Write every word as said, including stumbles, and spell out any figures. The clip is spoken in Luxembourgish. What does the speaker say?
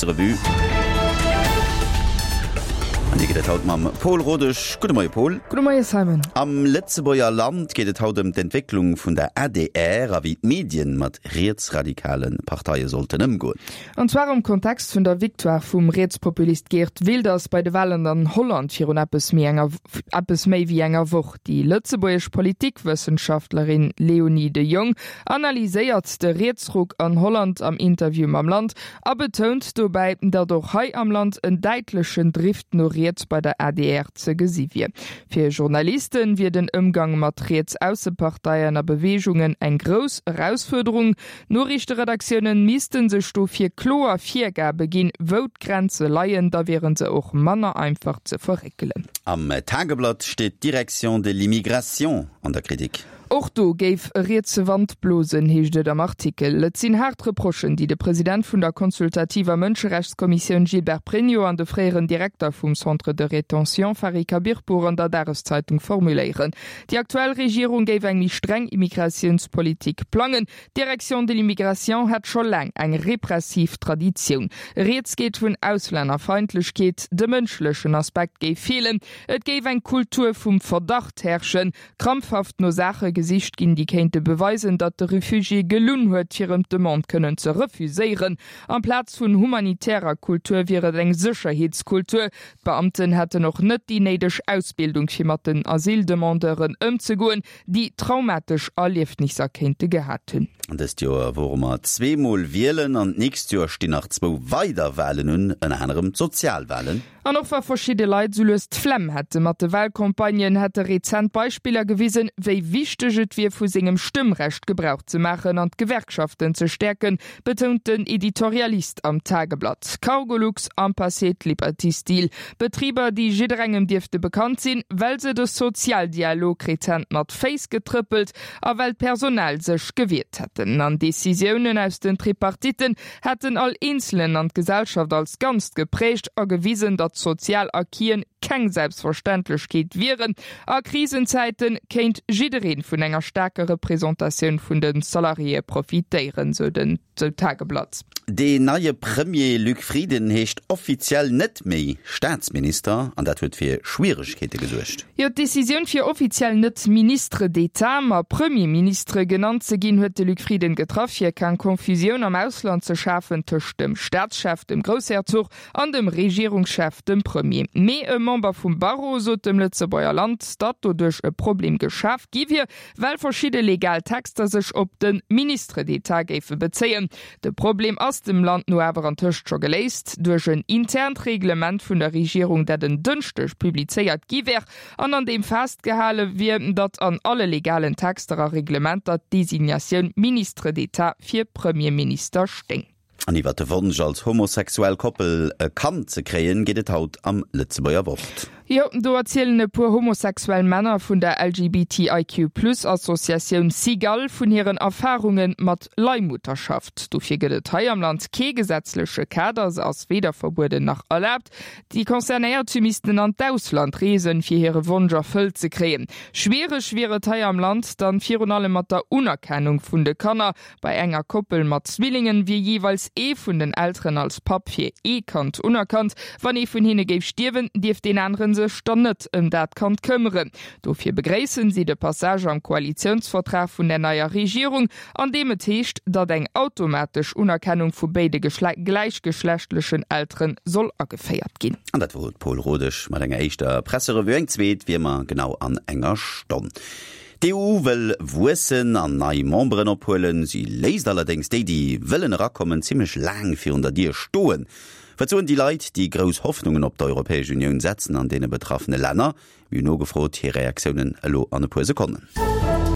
Revue. An déi gëtt et haut mam Pol Rodesch. Gudde Moie Pol. Gudde Moie Simon. Am Lëtzebuerger Land geet et haut ëm d'Entwécklung vun der adr a wéi d'Medien mat rietsradikale Parteie sollten ëmgoen. An zwar am Kontext vun der Victoire vum Rietspopulist Geert Wilders bei de Walen an Holland virun eppes méi enger eppes méi wéi enger Woch. Déi lëtzebuergesch Politikwëssenschaftlerin Léonie de Jong analyséiert de Rietsruck an Holland am Interview mam Land a betount dobäi, datt och hei am Land en däitlechen Drift no riets bei der adr ze gesi wier. Fir Journaliste wier den Ëmgang mat Riets-Ausseparteien a Beweegungen eng grouss Erausfuerderung. Noriichteredaktioune misste sech dofir kloer Virgabe ginn, wou d'Grenze leien, da wiere se och manner einfach ze verréckelen. Am Tageblatt steet d'Direction de l'immigration an der Kritik. Och do géif e rietse Wand blosen, heescht et am Artikel. Et sinn haart Reprochen, déi de President vun der consultativer Mënscherechtskommissioun Gilbert Pregno an de fréieren Direkter vum Centre de rétention Fari Khabirpour an der Dageszeitung formuléieren. Déi aktuell Regierung géif eng méi streng Immigratiounspolitik plangen. D'Direction de l'immigration hätt scho laang eng repressiv Traditioun. Rieds geet vun Auslännerfeindlechkeet, de mënschlechen Aspekt géif feelen, et géif eng Kultur vum Verdacht herrschen. Krampfhaft no Saache gesicht ginn, déi kéinte beweisen, datt de Refugié gelunn huet, fir ëm d'Demande kënnen ze refuséieren. Amplaz vun humanitärer Kultur wier et eng Sécherheetskultur. D'Beamten hätten och net déi néideg Ausbildung, fir mat den Asyldemandeuren ëmzegoen, déi traumatesch Erliefnisser kéinte gehat hunn. Dëst Joer wore mer zwee Mol wielen an d'nächst Joer stinn nach zwou weider Walen un, ënner anerem d'Sozialwalen. An och wa verschidde Leit sou lues d'Flemm hätte mat de Walcampagnen, hätte rezent Beispiller gewisen, wéi wichteg et wier, vu sengem Stëmmrecht Gebrauch ze maachen an d'Gewerkschaften ze stäerken, betount den Editorialist am Tageblatt. Cargolux, Ampacet, Liberty Steel, Betriber, déi jidderengem dierfte bekannt sinn, well se de Sozialdialog rezent mat Féiss getrëppelt a well d'Personal sech gewiert hätten. An Decisiounen aus den Tripartitten hätten all Eenzelen an d'Gesellschaft als Ganzt geprägt a gewisen, datt sozial Acquisen keng Selbstverständlechkeet wieren. A Krisenzäite kéint jidderee vun enger staarker Representatioun vun de Salariéë profitéieren, sou den sou d'Tageblatt. Deen neie Premier Luc Frieden heescht offiziell net méi Staatsminister an dat huet fir Schwieregkeete gesuergt. Jo, d'Decisioun fir offiziell net Ministre d'État, ma Premier Ministre genannt ze ginn, huet de Luc Frieden getraff, fir keng Confusioun am Ausland ze schafen tëscht dem Staatschef, dem Groussherzog, an dem Regierungschef, dem Premier. Mee e Member vum Barreau sot dem Lëtzebuerger Land, datt doduerch e Problem geschaf gi wier, well verschidde legal Texter sech op de Ministre d'État géife bezéien. De Problem ass dem Land no awer antëscht scho geléist duerch en internt Reglement vun der Regierung, dat en Dënschdeg publizéiert gi wär an an deem festgehale wier, datt an alle legalen Texter a Reglementer d'Designatioun Ministre d'État fir Premierminister stéing. An iwwer de Wonsch, als homosexuell Koppel e Kand ze kréien, geet et haut am Lëtzebuerger Wort. Jo, do erzielen e puer homosexuell Männer vun der LGBTIQ-Plus-Associatioun Cigale vun hiren Erfarunge mat Leihmutterschaft. Dofir gëtt et hei am Land kee gesetzleche Kader, se ass weder verbueden nach erlaabt. Déi Concernéiert missten an d'Ausland reesen, fir hire Wonsch erfëllt ze kréien. Schwiereg wier et hei am Land dann virun allem mat der Unerkennung vun de Kanner. Bei enger Koppel mat Zwillingen wier jeeweils ee vun den Elteren als Papp fir ee Kand unerkannt. Wann ee vun hinne géif stierwen, dierft deen anere sech dann net ëm dat Kand këmmeren. Dofir begréissen si de Passage am Koalitiounsvertrag vun der neier Regierung, an deem et heescht, datt eng automatesch Unerkennung vu béide gläichgeschlechtlechen Eltere soll ageféiert ginn. An dat wor d'Paul Rodesch mat enger éischter Presserevue. Eng zweet wéi ëmmer genau an enger Stonn. D'EU wëll wuessen an nei Memberen ophuelen. Si léisst allerdéngs déi, déi wëllen erakommen, zimmlech laang virun der Dier stoen. Wat soen déi Leit, déi grouss Hoffnungen op d'Europäesch Unioun setzen an deene betraffene Länner? Mir hunn nogefrot, hir Reaktiounen elo an e puer Sekonnen.